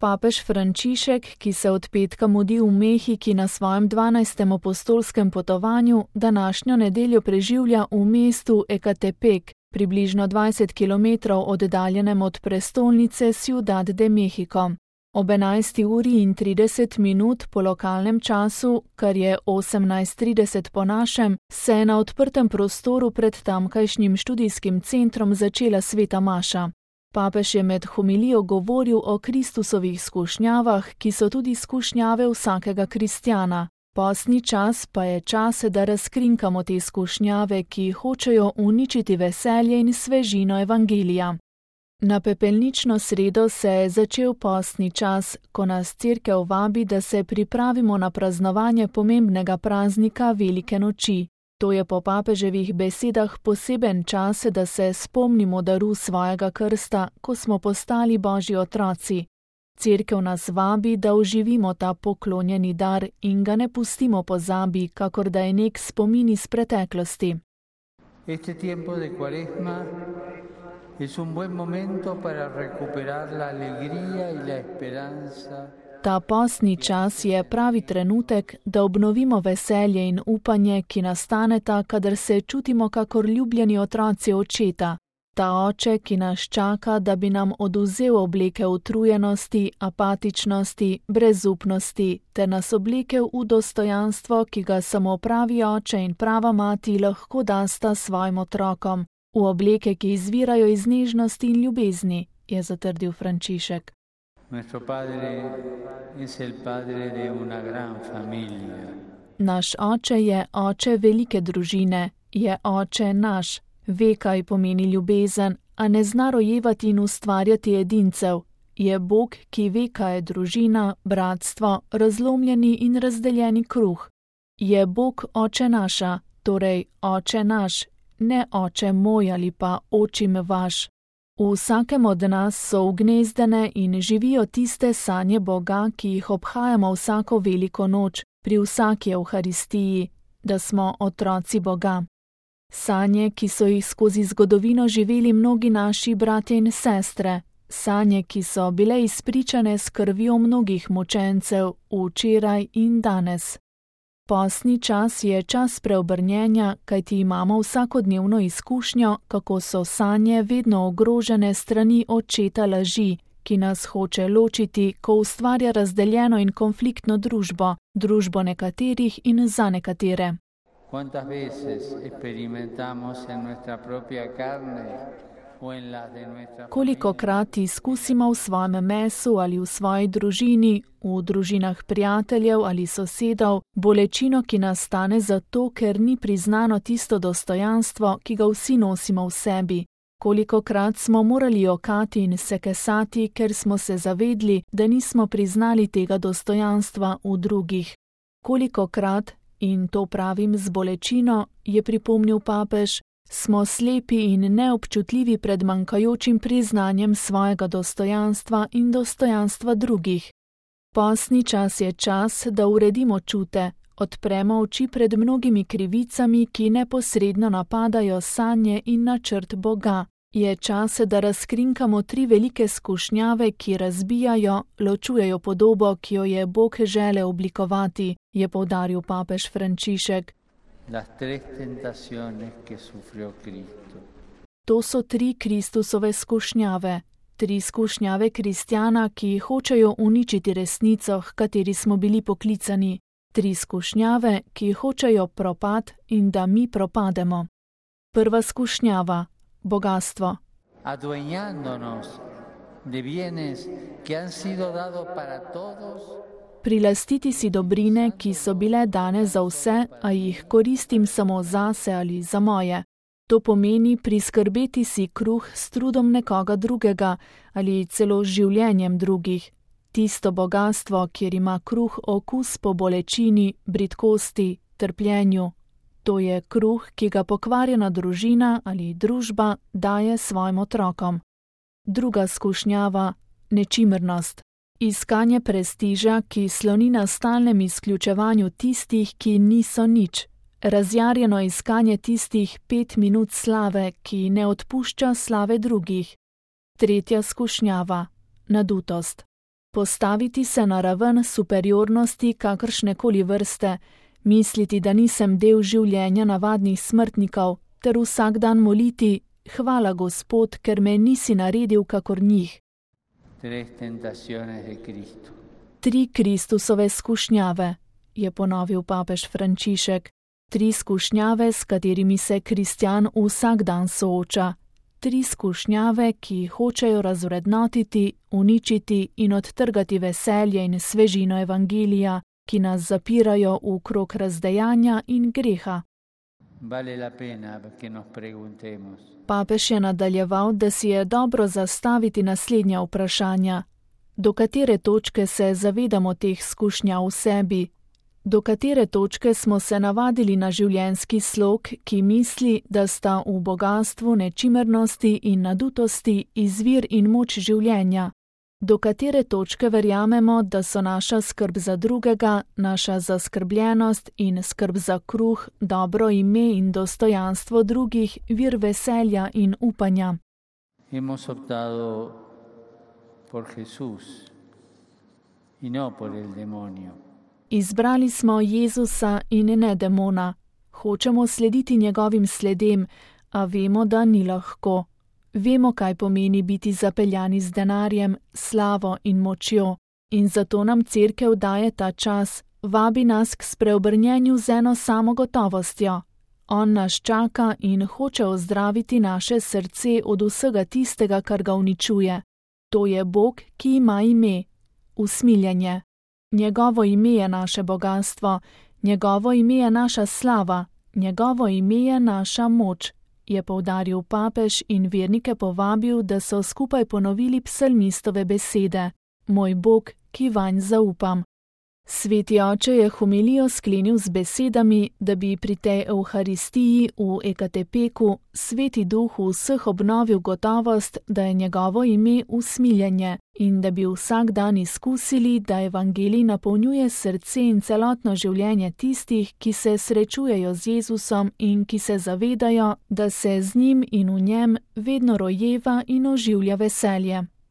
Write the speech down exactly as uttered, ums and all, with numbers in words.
Papež Frančišek, ki se od petka mudi v Mehiki na svojem dvanajstem apostolskem potovanju, današnjo nedeljo preživlja v mestu Ecatepec, približno dvajset kilometrov oddaljenem od prestolnice Ciudad de México. Ob enajsti uri in trideset minut po lokalnem času, kar je osemnajst trideset po našem, se je na odprtem prostoru pred tamkajšnjim študijskim centrom začela sveta maša. Papež je med homilijo govoril o Kristusovih skušnjavah, ki so tudi skušnjave vsakega kristjana. Postni čas pa je čas, da razkrinkamo te skušnjave, ki hočejo uničiti veselje in svežino evangelija. Na pepelnično sredo se je začel postni čas, ko nas cerkev vabi, da se pripravimo na praznovanje pomembnega praznika Velike noči. To je po papeževih besedah poseben čas, da se spomnimo daru svojega krsta, ko smo postali Božji otroci. Cerkev nas vabi, da oživimo ta poklonjeni dar in ga ne pustimo pozabi, kakor da je nek spomin iz preteklosti. Este tiempo de Cuaresma es un buen momento para recuperar la alegría y la esperanza. Ta postni čas je pravi trenutek, da obnovimo veselje in upanje, ki nastaneta, kadar se čutimo kakor ljubljeni otroci očeta. Ta oče, ki nas čaka, da bi nam oduzel obleke utrujenosti, apatičnosti, brezupnosti, ter nas oblekel v dostojanstvo, ki ga samo pravi oče in prava mati lahko dasta svojim otrokom, v obleke, ki izvirajo iz nežnosti in ljubezni, je zatrdil Frančišek. Naš oče je oče velike družine, je oče naš, ve, kaj pomeni ljubezen, a ne zna rojevati in ustvarjati edincev. Je Bog, ki ve, kaj je družina, bratstvo, razlomljeni in razdeljeni kruh. Je Bog oče naša, torej oče naš, ne oče moj ali pa očim vaš. V vsakem od nas so ugnezdene in živijo tiste sanje Boga, ki jih obhajamo vsako veliko noč, pri vsaki evharistiji, da smo otroci Boga. Sanje, ki so jih skozi zgodovino živeli mnogi naši bratje in sestre, sanje, ki so bile izpričane s krvjo mnogih mučencev včeraj in danes. Postni čas je čas preobrnjenja, kajti imamo vsakodnevno izkušnjo, kako so sanje vedno ogrožene strani očeta laži, ki nas hoče ločiti, ko ustvarja razdeljeno in konfliktno družbo, družbo nekaterih in za nekatere. ¿Cuántas veces experimentamos en nuestra propia carne o en la de nuestra Kolikokrat izkusimo v svojem mesu ali v svoji družini, v družinah prijateljev ali sosedov, bolečino, ki nastane zato, ker ni priznano tisto dostojanstvo, ki ga vsi nosimo v sebi. Kolikokrat smo morali jokati in se kesati, ker smo se zavedli, da nismo priznali tega dostojanstva v drugih. Kolikokrat, in to pravim z bolečino, je pripomnil papež, smo slepi in neobčutljivi pred manjkajočim priznanjem svojega dostojanstva in dostojanstva drugih. Postni čas je čas, da uredimo čute, odpremo oči pred mnogimi krivicami, ki neposredno napadajo sanje in načrt Boga. Je čas, da razkrinkamo tri velike skušnjave, ki razbijajo, ločujejo podobo, ki jo je Bog želel oblikovati, je poudaril papež Frančišek. To so tri Kristusove skušnjave, tri skušnjave kristjana, ki hočejo uničiti resnico, h kateri smo bili poklicani, tri skušnjave, ki hočejo propad in da mi propademo. Prva skušnjava. Bogastvo. Prilastiti si dobrine, ki so bile dane za vse, a jih koristim samo zase ali za moje. To pomeni priskrbeti si kruh s trudom nekoga drugega ali celo življenjem drugih. Tisto bogastvo, kjer ima kruh okus po bolečini, bridkosti, trpljenju. To je kruh, ki ga pokvarjena družina ali družba daje svojim otrokom. Druga skušnjava, nečimrnost. Iskanje prestiža, ki sloni na stalnem izključevanju tistih, ki niso nič. Razjarjeno iskanje tistih pet minut slave, ki ne odpušča slave drugih. Tretja skušnjava, nadutost. Postaviti se na raven superiornosti kakršnekoli vrste, misliti, da nisem del življenja navadnih smrtnikov, ter vsak dan moliti: hvala, Gospod, ker me nisi naredil kakor njih. Tri Kristusove skušnjave, je ponovil papež Frančišek. Tri skušnjave, s katerimi se kristjan vsak dan sooča. Tri skušnjave, ki hočejo razvrednotiti, uničiti in odtrgati veselje in svežino evangelija, ki nas zapirajo v krog razdejanja in greha. Papež je nadaljeval, da si je dobro zastaviti naslednja vprašanja. Do katere točke se zavedamo teh skušnjav v sebi? Do katere točke smo se navadili na življenjski slog, ki misli, da sta v bogatstvu, nečimrnosti in nadutosti izvir in moč življenja? Do katere točke verjamemo, da so naša skrb za drugega, naša zaskrbljenost in skrb za kruh, dobro ime in dostojanstvo drugih vir veselja in upanja? Hemos optado por Jesús y no por el demonio. Izbrali smo Jezusa in ne demona. Hočemo slediti njegovim sledem, a vemo, da ni lahko. Vemo, kaj pomeni biti zapeljani z denarjem, slavo in močjo. In zato nam Cerkev daje ta čas, vabi nas k spreobrnjenju z eno samo gotovostjo. On nas čaka in hoče ozdraviti naše srce od vsega tistega, kar ga uničuje. To je Bog, ki ima ime – usmiljenje. Njegovo ime je naše bogatstvo, njegovo ime je naša slava, njegovo ime je naša moč, je poudaril papež in vernike povabil, da so skupaj ponovili psalmistove besede: Moj Bog, ki vanj zaupam. Sveti oče je homilijo sklenil z besedami, da bi pri tej Evharistiji v Ekatepeku Sveti Duh v vseh obnovil gotovost, da je njegovo ime usmiljenje in da bi vsak dan izkusili, da evangelij napolnjuje srce in celotno življenje tistih, ki se srečujejo z Jezusom in ki se zavedajo, da se z njim in v njem vedno rojeva in oživlja veselje.